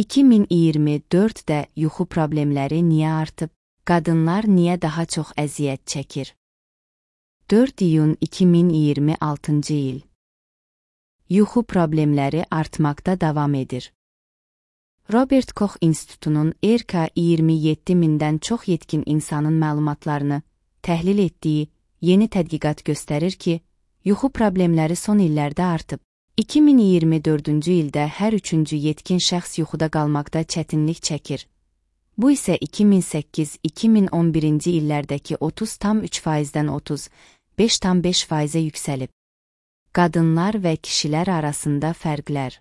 2024-də yuxu problemləri niyə artıb? Qadınlar niyə daha çox əziyyət çəkir? 4 iyun 2026-cı il. Yuxu problemləri artmaqda davam edir. Robert Koch İnstitutunun ERKA 27 mindən çox yetkin insanın məlumatlarını təhlil etdiyi yeni tədqiqat göstərir ki, yuxu problemləri son illərdə artıb. 2024-cü ildə hər üçüncü yetkin şəxs yuxuda qalmaqda çətinlik çəkir. Bu isə 2008-2011-ci illərdəki 30,3%-dən 35,5%-ə yüksəlib. Qadınlar və kişilər arasında fərqlər.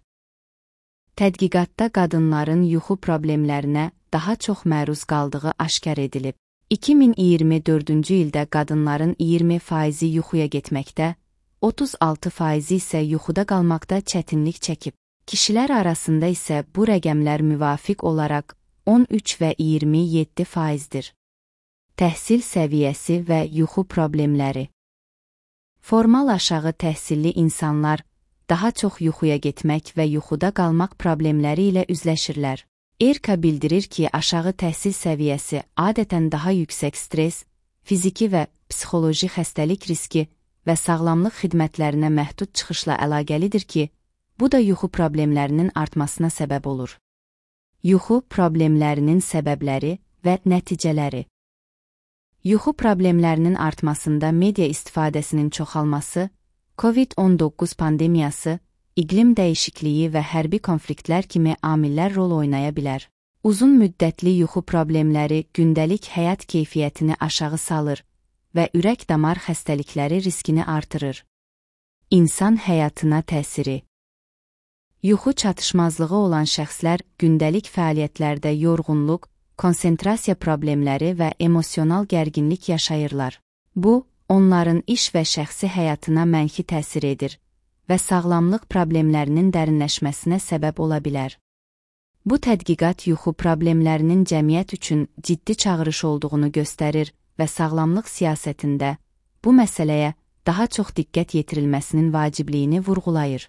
Tədqiqatda qadınların yuxu problemlərinə daha çox məruz qaldığı aşkar edilib. 2024-cü ildə qadınların 20% yuxuya getməkdə, 36% isə yuxuda qalmaqda çətinlik çəkib. Kişilər arasında isə bu rəqəmlər müvafiq olaraq 13 və 27%-dir. Təhsil səviyyəsi və yuxu problemləri. Formal aşağı təhsilli insanlar daha çox yuxuya getmək və yuxuda qalmaq problemləri ilə üzləşirlər. ERKA bildirir ki, aşağı təhsil səviyyəsi adətən daha yüksək stres, fiziki və psixoloji xəstəlik riski və sağlamlıq xidmətlərinə məhdud çıxışla əlaqəlidir ki, bu da yuxu problemlərinin artmasına səbəb olur. Yuxu problemlərinin səbəbləri və nəticələri. Yuxu problemlərinin artmasında media istifadəsinin çoxalması, COVID-19 pandemiyası, iqlim dəyişikliyi və hərbi konfliktlər kimi amillər rol oynaya bilər. Uzun müddətli yuxu problemləri gündəlik həyat keyfiyyətini aşağı salır və ürək-damar xəstəlikləri riskini artırır. İnsan həyatına təsiri. Yuxu çatışmazlığı olan şəxslər gündəlik fəaliyyətlərdə yorğunluq, konsentrasiya problemləri və emosional gərginlik yaşayırlar. Bu, onların iş və şəxsi həyatına mənfi təsir edir və sağlamlıq problemlərinin dərinləşməsinə səbəb ola bilər. Bu tədqiqat yuxu problemlərinin cəmiyyət üçün ciddi çağırış olduğunu göstərir və sağlamlıq siyasətində bu məsələyə daha çox diqqət yetirilməsinin vacibliyini vurğulayır.